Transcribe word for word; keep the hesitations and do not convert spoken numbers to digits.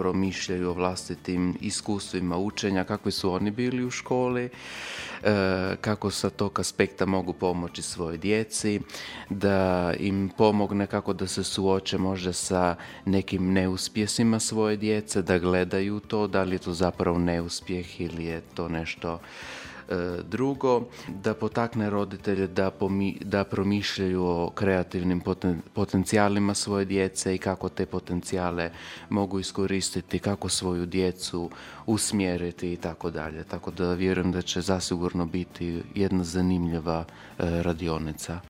promišljaju o vlastitim iskustvima učenja, kakvi su oni bili u školi, kako sa tog aspekta mogu pomoći svojoj djeci, da im pomogne kako da se suoče možda sa nekim neuspjesima svoje djece, da gledaju to, da li je to zapravo neuspjeh ili je to nešto drugo, da potakne roditelje da, pomi, da promišljaju o kreativnim poten, potencijalima svoje djece i kako te potencijale mogu iskoristiti, kako svoju djecu usmjeriti i tako dalje. Tako da vjerujem da će zasigurno biti jedna zanimljiva radionica.